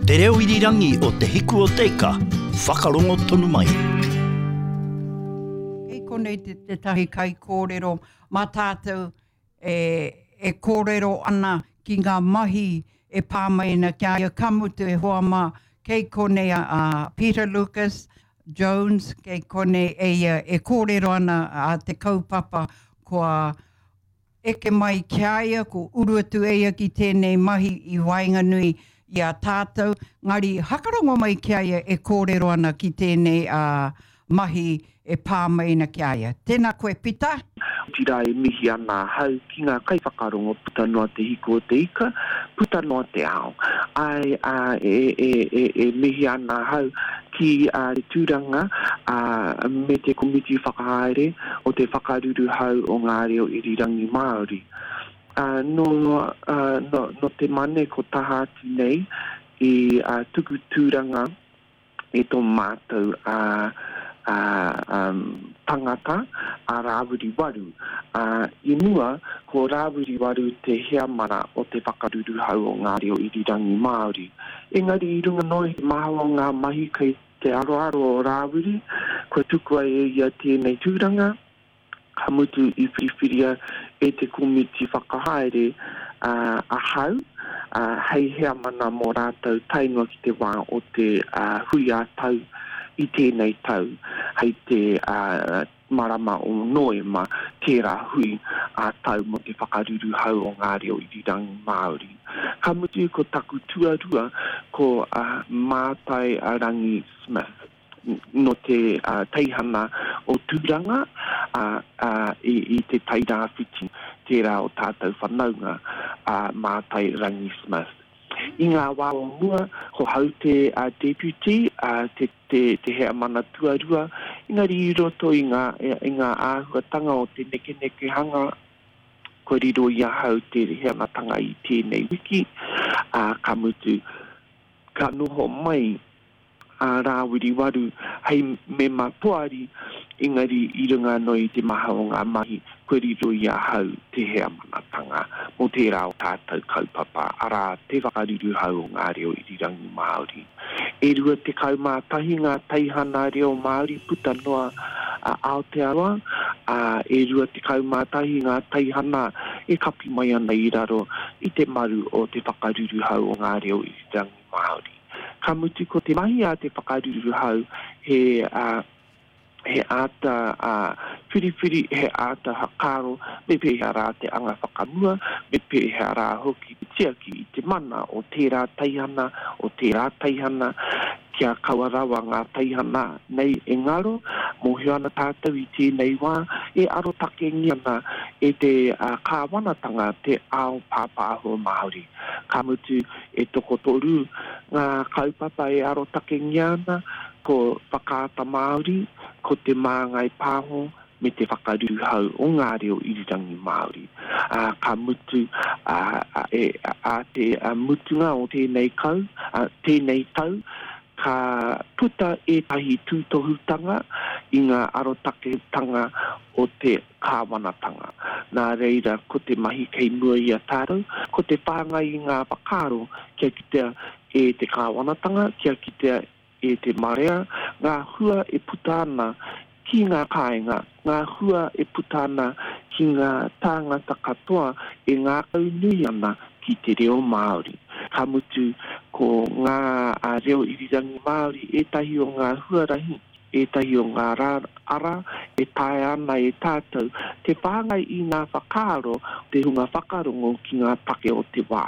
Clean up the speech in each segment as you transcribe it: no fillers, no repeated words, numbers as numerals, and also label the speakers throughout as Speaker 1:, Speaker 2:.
Speaker 1: Te reo irirangi o Te Hiku o Te Ika, whakarongo tonu mai.
Speaker 2: Kei konei te tētahi kaikōrero mā tātou e, e kōrero ana ki ngā mahi e pā mai ana ki a ia, ka mutu e hoa mā, kei konei a, a Peter Lucas Jones, kei konei e ia e kōrero ana a te kaupapa kua eke mai ki a ia, ko uru atu e ia ki tēnei mahi i waenganui i a tātou, ngari hakarongo mai ki a ia e kōrero ana ki tēnei a, mahi e pā mai ana ki a ia. Tēnā koe Pita.
Speaker 3: Otirā e mihi ana ahau ki ngā kaiwhakarongo puta noa te hiku o te ika, puta noa te ao. Āe, ā, e, e, e, e mihi ana ahau ki ā, te tūranga, ā, me te komiti whakahaere o te whakaruruhau o ngā reo irirangi Māori. Ā, nō, ā, nō, nō te Mane ko taha atu nei i, ā, tuku tūranga, e tō mātou tangata, a Rāwiri Waru. I mua, ko Rāwiri Waru te heamana o te whakaruruhau o ngā reo irirangi Māori. Engari i runga noa i te maha o ngā mahi kei te aroaro o Rāwiri, kua tukua e ia tēnei tūranga, ka mutu i whiriwhiria e te komiti whakahaere ahau hei heamana mō rātou tae noa ki te wā o te hui ā-tau i tēnei tau hei te marama o Noema tērā hui ā-tau mō te whakaruruhau o ngā reo irirangi Māori. Ka mutu ko taku tuarua ko Mātai Rangi Smith. nō te teihana o Tūranga, ā, i Te Tai Rāwhiti, tērā o tātou whanaunga, a Mātai Rangi Smith. I ngā wā o mua, ko hau te deputy, te, te, te heamana tuarua, engari i roto i ngā, i ngā āhuatanga o te nekenekehanga, kua riro i ahau te heamanatanga i tēnei wiki, ā, ka mutu, ka noho mai a Rāwiri Waru hei mema poari, engari i runga anō i te maha o ngā mahi kua riro i ahau te heamanatanga mō tērā o tātou kaupapa, arā, te whakaruruhau o ngā reo irirangi Māori. E 21 ngā teihana reo Māori puta noa a Aotearoa, ā, e 21 ngā teihana e kapi mai ana i raro i te maru o te whakaruruhau o ngā reo irirangi Māori. Ka mutu ko te mahi a te whakaruruhau he he āta whiriwhiri, he āta whakaaro me pēhea rā te anga whakamua, me pēhea rā hoki te tiaki i te mana o tērā teihana, o tērā teihana, kia kaua rawa ngā teihana nei e ngaro. Mōhio ana tātou i tēnei wā e arotakengia ana e te kāwanatanga te ao pāpāho Māori. Ka mutu, E tokotoru ngā kaupapa e arotakengia ana, ko Whakaata Māori, ko Te Māngai Pāho me te Whakaruruhau o ngā Reo Irirangi Māori. Ā, ka mutu, ā, e, ā te mutunga o tēnei kau, ā, tēnei tau, ka puta ētahi tūtohutanga i ngā arotaketanga o te kāwanatanga. Nā reira, ko te mahi kei mua i a tātou, ko te whāngai i ngā whakaaro kia kitea e te kāwanatanga, kia kitea e te marea, ngā hua e puta ana ki ngā kāinga, ngā hua e puta ana ki ngā tāngata katoa e ngākaunui ana ki te reo Māori. Ka mutu, ko ngā reo irirangi Māori ētahi o ngā huarahi ētahi o ngā ara e taea ana e tātou te whāngai i ngā whakaaro o te hunga whakarongo ki ngā take o te wā,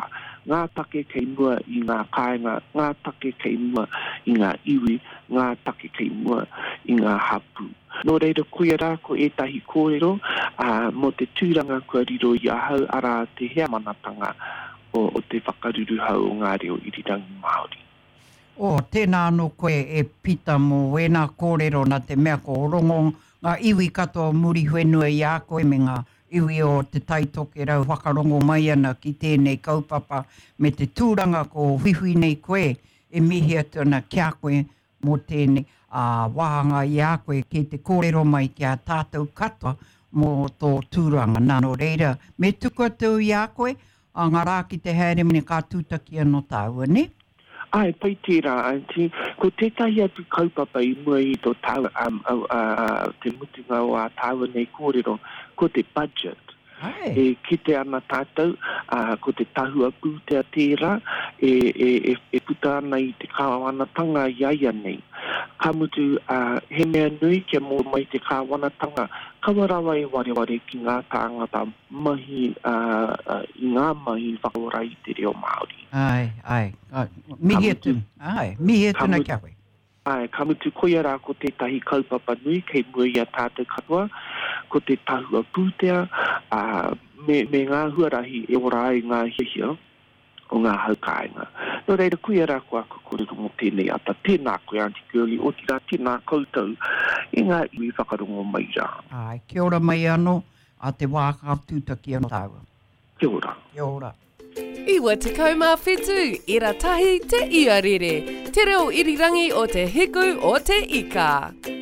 Speaker 3: ngā take kei mua i ngā kāinga, ngā take kei mua i ngā iwi, ngā take kei mua i ngā hapū. Nō reira, koia rā ko ētahi kōrero mō te tūranga kua riro i ahau, arā, te heamanatanga o te whakaruruhau o ngā reo irirangi Māori.
Speaker 2: Oh, tēnā anō koe e Pita mō wēnā kōrero nā te mea ko rongo ngā iwi katoa o Muriwhenua i a koe me ngā iwi o Te Tai Tokerau whakarongo mai ana ki tēnei kaupapa me te tūranga ko whiwhi nei koe e mihi atu ana ki a koe mō tēnei ā wāhanga i a koe kei te kōrero mai ki a tātou katoa mō tō tūranga nā nō reira me tuku atu i a koe ā ngā rā ki te haere mai ka tūtaki anō tāua nē?
Speaker 3: Āe, pai tērā, Aunty. Ko tētahi atu kaupapa i mua i tō tāua, um, uh, te mutunga o ā tāua nei kōrero, ko te budget.
Speaker 2: Āe.
Speaker 3: E kite ana tātou, ā, ko te tahua pūtea tērā e, e, e, e puta ana i te kāwanatanga i a ia nei. Ka mutu, ā, he mea nui kia mōhio mai te kāwanatanga, kaua rawa e wareware ki ngā tāngata mahi, ā, i ngā mahi whakaora i te reo Māori.
Speaker 2: Āe, āe. Mihi atu, āe, mihi atu nei ki a koe.
Speaker 3: Āe, ka mutu koia rā ko tētahi kaupapa nui kei mua i a tātou katoa, ko te tahua pūtea, ā, me, me ngā huarahi e ora ai ngā hiahia o ngā hau kāinga. Nō reira, koia rā ko aku kōrero mō tēnei ata. Tēnā koe, Aunty Girlie, otirā tēnā koutou e ngā iwi whakarongo mai rā.
Speaker 2: Āe, kia ora mai anō, ā te wā ka tūtaki anō tāua.
Speaker 3: Kia ora.
Speaker 2: Kia ora.
Speaker 4: 97 ira tahi te iarere, te reo irirangi o te hiku o te ika.